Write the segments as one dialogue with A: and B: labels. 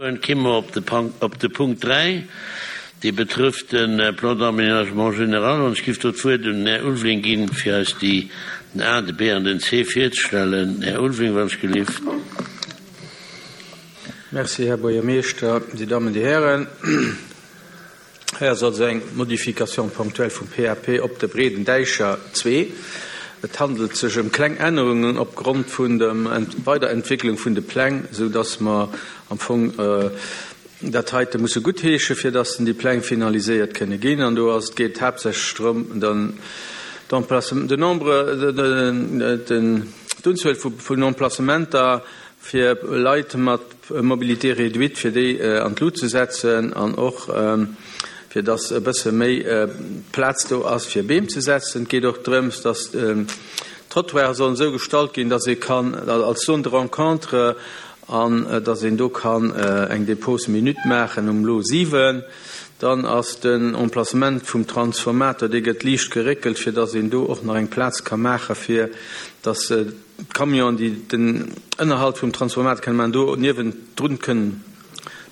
A: Komme mer op de Punkt 3, dee betrëfft de Plan d'aménagement général. An ech géif do d'Wuert un den Här Ulveling ginn, fir eis déi, den A, de B an den C virzestellen. Här Ulveling, wann ech gelift.
B: Merci, Här Buergermeeschter, Dir Dammen, Dir Hären. Hei ass also eng Modification ponctuelle vum PAP op de Breeden Däicher 2. Et handelt sech ëm kleng Ännerungen opgrond vun der Weiderentwicklung vun de Pläng, esou dass mer am Fong dat heite musse guttheesche fir dass déi Pläng finaliséiert kënne ginn. An do ass et geet haaptsächlech drëm, den d'Emplacement, den Nombre, den d'Unzuel vun Emplacementer fir Leit mat Mobilité réduite, fir déi an d'Lut ze setzen an och fir dass e bësse méi Plaz do ass fir Beem ze setzen. Et geet och drëms, dass d'Trottoiren sollen esou gestalt ginn, dass ee kann als Zone de rencontre an dass een do kann eng Dépose minute maachen um Lot 7. Dann ass den Emplacement vum Transformateur, dee gëtt liicht geréckelt, fir dass een do och nach eng Plaz ka maache fir dass D'Camionen, déi den Ënnerhalt vum Transformateur kënne maachen, do niewendrun kënnen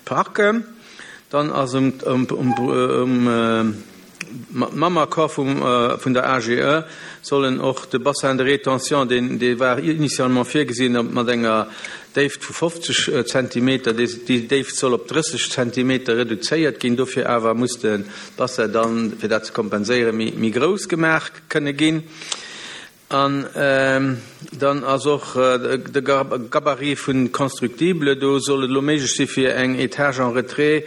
B: parken. Dann ass um mam Accord vum der AGE sollen och de Bassin de rétention, deen dee war initialement virgesinn mat enger Déift vu 50 Zentimeter, déi Déift soll op 30 Zentimeter reduzéiert ginn. Dofir awer muss de Bassin dann, fir dat ze kompenséieren, méi grouss gemaach kënne ginn. An dann ass och de Gabarit vun Constructible, do soll et elo méiglech si fir eng Etage en retrait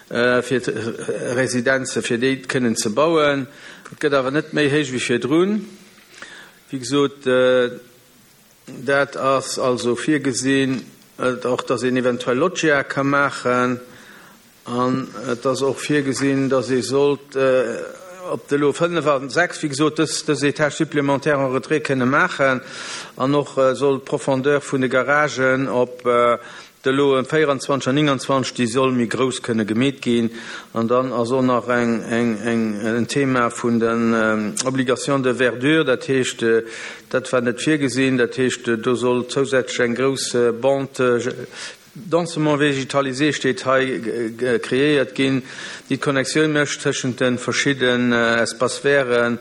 B: fir d'Residenze fir déi kënnen ze bauen. Et gëtt awer net méi héich wéi virdrun. Wéi gesot, dat ass also virgesinn, och datt een eventuell Loggiae ka maachen. An et ass och virgesinn, dass ee sollt op de Lot 5 a 6, wéi gesot, dës, dës Étage supplémentaire en retrait kënne maachen. An och soll d'Profondeur vun de Garagen op de Loten 24 an 29, déi soll méi grouss kënne gemeet ginn. An dann ass och nach eng, eng, eng, en Thema vun den Obligations de verdure, dat heescht, dat war net virgesinn, dat heescht, do soll zousätzlech eng grouss Bande Densément végétalisé steet hei, kreéiert ginn, déi d'Connectioun mécht tëschent de verschidden Espaces verts,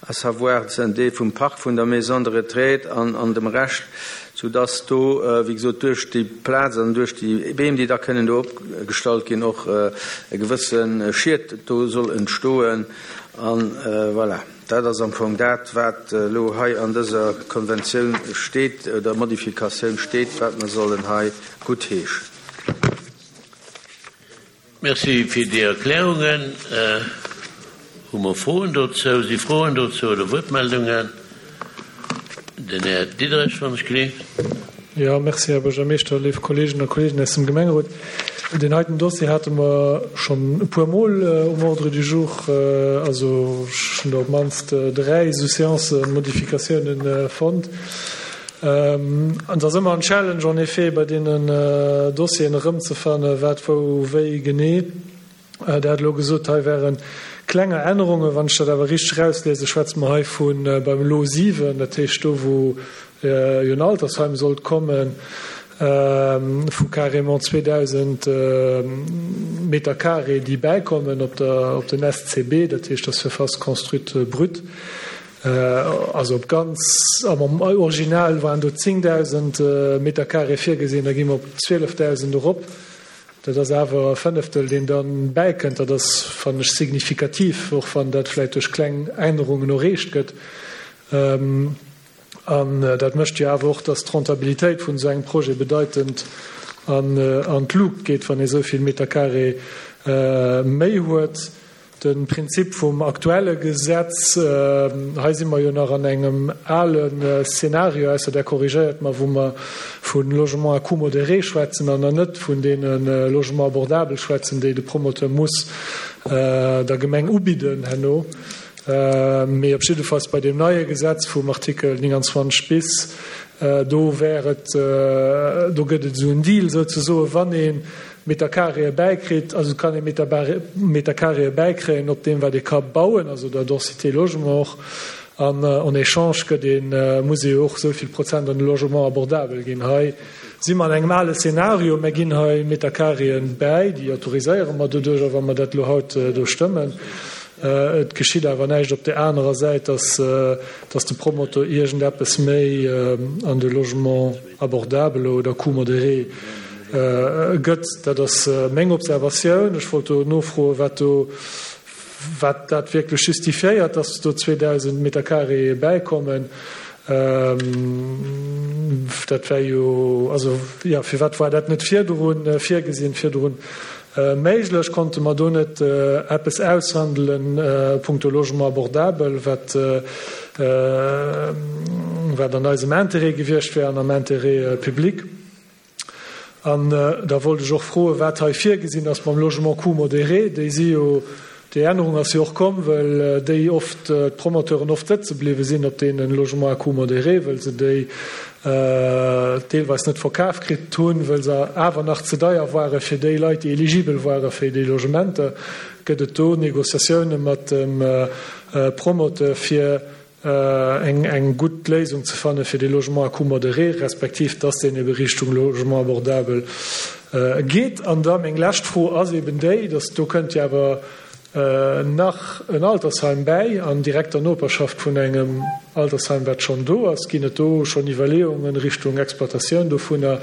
B: à savoir den Deel vum Parc vun der Maison de retraite an dem Rescht, soudass do, wéi gesot, duerch déi Plaz an duerch déi Beem, déi da kënnen do opgestallt ginn, och e gewësse Schiet do soll entstoen. An voilà. Dat ass am Fong dat, wat elo hei an dëser Konventioun steet oder Modifikatioun steet, wat mer sollen hei guttheeschen.
A: Merci fir déi Erklärungen. Hu mer Froen dozou? Si Froen dozou oder Wuertmeldungen? Den Här Diderich, wann ech gleef.
C: Jo, merci, Här Buergermeeschter, léif Kolleegen a Kolleegen aus dem Gemengerot. Deen heiten Dossier hate mer schonn e puermol um Ordre du jour. Also ech hunn der op d'mannst 3 esou Séancen, Modifikatiounen fonnt. An et ass ëmmer en Challenge en effet bei deenen Dossieren erëmzefannen, wat wou wéi genee. Der hat elo gesot, hei wäre klenger Ännerungen. Wann ech dat awer richteg erausliesen, schwätze mer hei vu beim Lot 7, dat heescht do, wou jo en Altersheim sollt kommen, vu carrément 2.000 Meter carré, déi bäikommen op der, op den SCB, dat heescht der Surface construite brute. Also op ganz, am Original waren do 10.000 Meter carré virgesinn, da gi mer op 12.000 erop. Dat ass awer e Fënneftel, deen da bäikënnt. Dat ass, fannen ech, signifikativ, och wann dat vläicht duerch kleng Ännerungen erreecht gëtt. An dat mécht jo awer och, dass d'Rentabilitéit vun esou engem Projet bedeitend an d'Luucht geet, wann ee esou vill Meter carré méi huet. De Prinzip vum aktuelle Gesetz, hei si mer jo nach an engem ale Szenario, ausser Der korrigéiert mer, wou mer vu Logements à coût modéré schwätzen an nach net vun deene Logements abordables schwätzen, déi de Promoteur muss der Gemeng ubidden herno. Mee op jiddefalls bei deem neie Gesetz vum Artikel 29 bis, do wär et, do gëtt et esou en Deal souzesoen, wann ee Meter carréë bäikritt, also et kann ee Meter carréë bäikréien op deem wat ee ka bauen, also der Densité logement och. An en échange gëtt een, muss ee jo och esou vill Prozent an de Logement abordabel ginn. Hei si mer an engem ale Szenario. Mer ginn hei Meterkareeën bäi, déi autoriséiere mer doduercher, wa mer dat elo haut do stëmmen. Et geschitt awer näischt op där anerer Säit, dass, dass de Promoteur iergendeppes méi an de Logement abordable oder coût modéré gëtt. Dat ass meng Observatioun. Ech wollt do nofroen, wat do, Wat dat wierklech justifiéiert, dass do 2.000 Metercarré bäikommen, dat wär jo, also jo, firwat war dat net virdru virgesinn, virdru méiglech? Konnte mer do net eppes aushandelen punkto Logement abordabel, wat, wat an eisem Intérêt gewiescht wär an am Intérêt public? An da wollt ech och froen, wat hei virgesinn ass mam Logement coût modéré. Déi si jo, déi Ännerung ass jo och komm, well déi oft, d'Promoteuren oft sëtze bliwwe sinn op deene Logements à coût modéré, well se déi deelweis net verkaf kritt hunn, well se awer nach ze deier ware fir déi Leit, déi eligibel ware fir déi Logementer. Gëtt et do Négociatioune mat dem Promoteur, fir eng gutt Léisung ze fanne fir dee Logement à coût modéré, respektiv dass deen ebe Richtung Logement abordabel geet. An da meng lescht Fro ass eben déi, dass do kënnt jo awer nach en Altersheim bäi an direkter Noperschaft vun engem Altersheim, wat schonn do ass. Ginn et do schonn Iwwerleeungen Richtung Exploitatioun dovunner?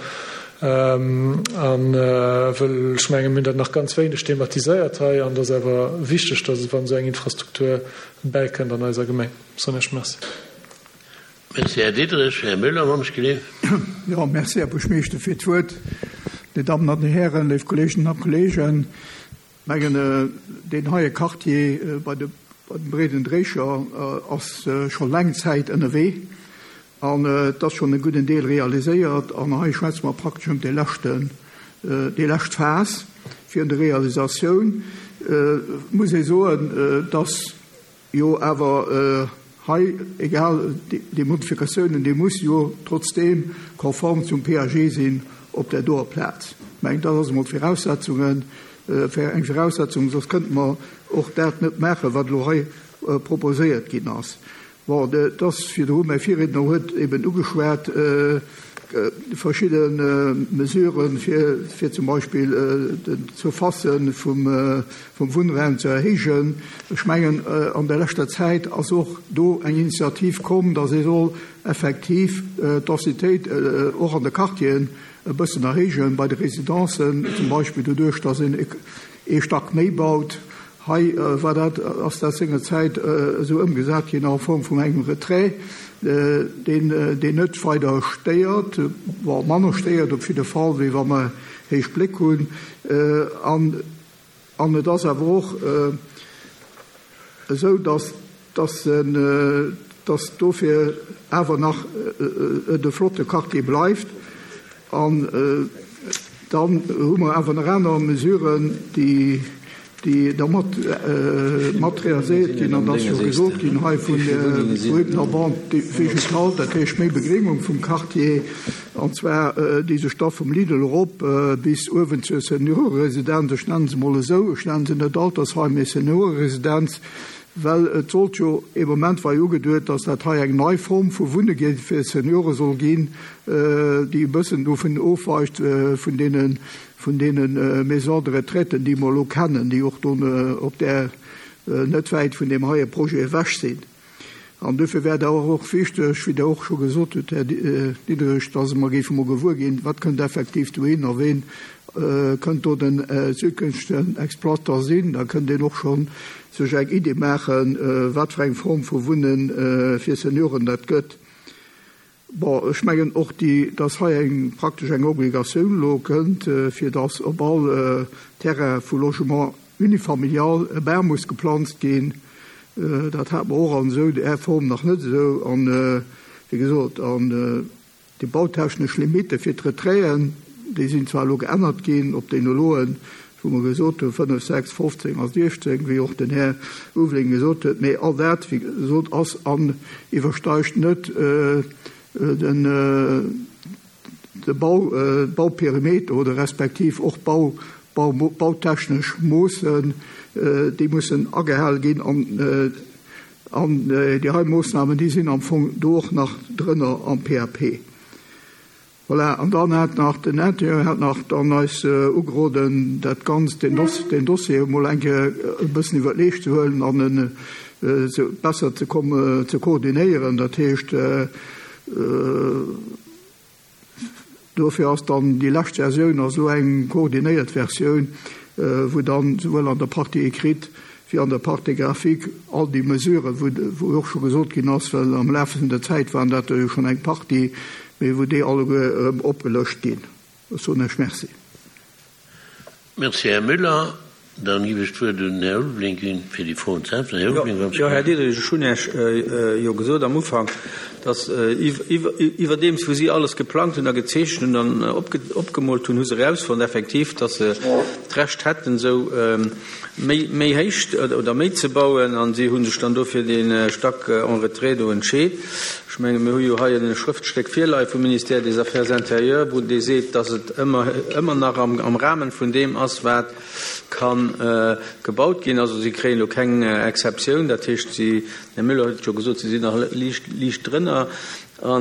C: A well ech mengen, mir hunn dat nach ganz wéineg thematiséiert hei an et ass awer wichteg, dass wann esou eng Infrastruktur bäikënnt an eiser Gemeng. Soen ech Merci.
A: Merci, Här Diderich. Här Müller, wann ech gleef.
D: Jo, merci, Här Buergermeeschter, fir d'Wuert. Dir Dammen an Dir Hären, léif Kolleeginnen a Kolleegen, ech mengen, deen heie Quartier bei de bei dem Breeden Dréicher ass scho laang Zäit ënnerwee an et ass schonn e gudden Deel realiséiert. An hei schwätze mer praktesch ëm dee leschten, déi lescht Phas virun der Realisatioun. Muss ee soen, dass jo awer hei, egal déi Modifikatiounen, déi musse jo trotzdeem konform zum PAG sinn op där doer Plaz. Ech mengen, dat ass emol d'Viraussetzungen, eng Viraussetzung, soss kënnte mer och dat net maachen, wat elo hei proposéiert ginn ass. Bon, et ass virdru, mäi Virriedner huet eben ugeschwat, verschidde Mesuren, fir zum Beispill d'Surfacë vum Wunnraum ze erhéijen. Ech mengen, an der leschter Zäit ass och do eng Initiativ komm, datt ee soll effektiv d'Densitéit och an de Quartieren e bëssen erhéijen, bei de Residencen zum Beispill doduerch, datt een ee Stack méi baut. Hei war dat, ass dat sengerzäit esou ëmgesat ginn a Form vun engem Retrait, deen, deen net weider stéiert, bon, manner stéiert op jidde Fall, wéi wa mer héich Bléck hunn. An, an et ass awer och esou, dass, dass en, dass dofir awer nach et e flotte Quartier bleift. An dann hu mer awer nach aner Mesuren, déi, déi da mat, mat realiséiert ginn. An et ass jo gesot ginn hei vun der Bande végétale, dat heescht méi Begréngung vum Quartier, an zwar déi sech da vum Lidl erop bis uewen zur Senioreresidenz, ech nennen se emol esou, ech nennen se net Altersheim, mee Senioreresidenz, Well et sollt jo, ee Moment war jo ugeduet, datt dat hei eng nei Form vu Wunne fir Seniore soll ginn, déi e bëssen dovun ofweicht vun deene, vun deene Maisons de retraite, déi mer elo kennen, déi och do op där, net wäit vun deem heie Projet ewech sinn. An duerfir wär et awer och wichteg, wéi Der och scho gesot hutt, Här Diderich, datt mer géife mol gewuer ginn, wat kënnt effektiv dohin a ween kënnt do den zukünftegen Exploiteur sinn. Da kënnt een och schonn sech eng Idee maachen, wat fir eng Form vu Wunne fir Senioren dat gëtt. Bon, ech mengen och déi, dass hei eng praktesch eng Obligatioun elo kënnt, fir dass op all Terrain vu Logement unifamilial e Bam muss geplanzt ginn. Dat hate mer och an esou där Form nach net esou. An, wéi gesot, an Déi bautechnesch Limitte fir d'Retraiten, déi sinn zwar elo geännert ginn op déi noloen, wou mer gesot hunn, 5, 6, 15 a 16, wéi och den Här Ulveling gesot huet, mee all dat, wéi gesot, ass an iwwersteigt net den de Bau, Bauperimeter oder respektiv och Bau, Bau, bautechnesch Moossen, déi mussen agehale ginn an. An déi hei Moossnamen, déi sinn am Fong do och nach drënner am PAP. Voilà, an dann hat nach den Interieur hat nach dann eis ugeroden, dat Ganzt, deen Doss, deen Dossier emol eng Kéier e bëssen iwwer d'Leescht ze huelen an en ze besser ze kom ze koordinéieren. Dat heescht, dofir ass dann déi lescht Versioun ass elo eng koordinéiert Versioun, wou dann souwuel an der Partie écrite wéi an der Partie graphique all déi Mesuren, wou, wou och scho gesot ginn ass, well am Laf vun der Zäit waren dat der jo schonn eng Partie, mee wou déi alleguer erëm opgelëscht ginn. Ech soen Iech Merci.
A: Merci, Här Müller. Dann giff ech d'Wuert un den Här Ulveling ginn, fir déi Froen ze äntweren. Här Ulveling, wann
B: Jo, Här Diderich, ech hunn Iech jo gesot am Ufank, dass iwwerdeems wou si alles geplangt hunn a gezeechent hunn an opgemoolt hunn, hu se erausfonnt effektiv, dass se d'Recht hätten, esou méi méi héich oder méi ze bauen an si hu sech dann do fir dee Stack en retrait do entscheet. Ech menge mir hu jo hei e Schrëftstéck virleie vum Ministère des Affaires intérieures, wou dee seet, datt et ëmmer ëmmer nach am am Rahmen vun deem ass, wat ka gebaut ginn. Also si kréien elo keng Exceptioun, dat heescht si, den Här Müller huet et jo gesot, si sinn nach liicht liicht drënner. A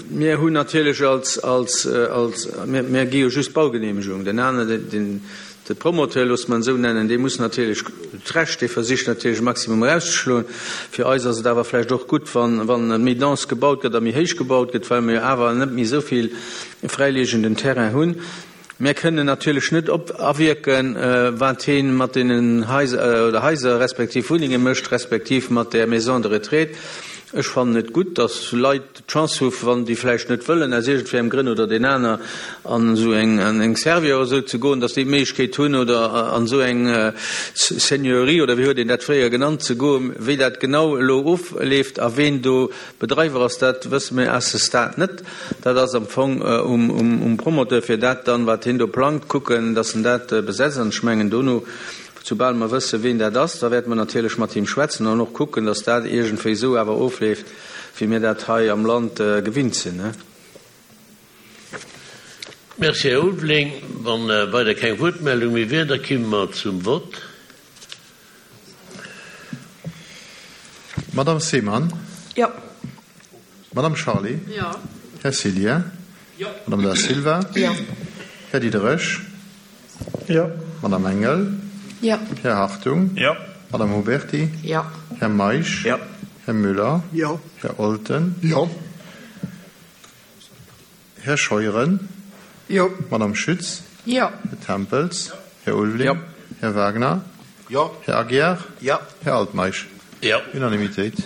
B: mir hunn natierlech als als als mir mir gi jo just d'Baugenehmegung, den aneren den De Promoteur, loosse mer en esou nennen, dee muss natierlech d'Recht, dee versicht natierlech e Maximum erauszeschloen. Fir eis ass et awer vläicht och gutt, wann, wann méi dense gebaut gëtt a méi héich gebaut gëtt, well mer jo awer net méi esou vill fräiliegenden Terrain hunn. Mir kënnen natierlech net op awierken, wat hee mat deenen Haiser oder Haiser respektiv Wunnenge mécht, respektiv mat där Maison de retraite. Ech fannen et gutt, dass Leit, d'Chance hu wann déi vläicht net wëllen, aus iergendwéi engem Grënn oder deen aner, an esou eng an eng Servior oder esou ze goen, datt déi d'Méiglechkeet hunn oder an esou eng Seigneurie oder wéi huet een dat fréier genannt ze goen. Wéi dat genau elo ofleeft a ween do Bedreiwer ass, dat wësse mir à ce stade net. Dat ass am Fong um Promoteur fir dat dann, wat hien do plangt, kucken, datt en dat besetzt. An ech mengen dono, soubal mer wësse ween dat ass, da wäerte mer natierlech mat him schwätzen an och kucken, datt dat iergendwéi esou awer ofleeft, wéi mir dat hei am Land gewinnt sinn.
A: Merci, Här Ulveling. Wa weider keng Wuertmeldung méi wier, da kimme mer zum Vott.
E: Madame Seemann?
F: Jo.
E: Madame Charlé?
F: Jo.
E: Här Cillien?
F: Jo.
E: Madame Da Silva?
F: Jo.
E: Här Diderich?
C: Jo.
E: Madame Engel?
F: Jo.
E: Här Hartung?
G: Jo.
E: Madame Huberty?
F: Jo.
E: Här Meisch?
G: Jo.
E: Här Müller?
D: Jo.
E: Här Olten?
D: Jo.
E: Här Scheuren?
D: Jo.
E: Madame Schütz?
F: Jo.
E: Här Tempels? Här Ulveling?
G: Jo.
E: Här Wagner?
G: Jo.
E: Här Aguiar?
G: Jo.
E: Här Altmeisch?
A: Jo.
E: Unanimitéit.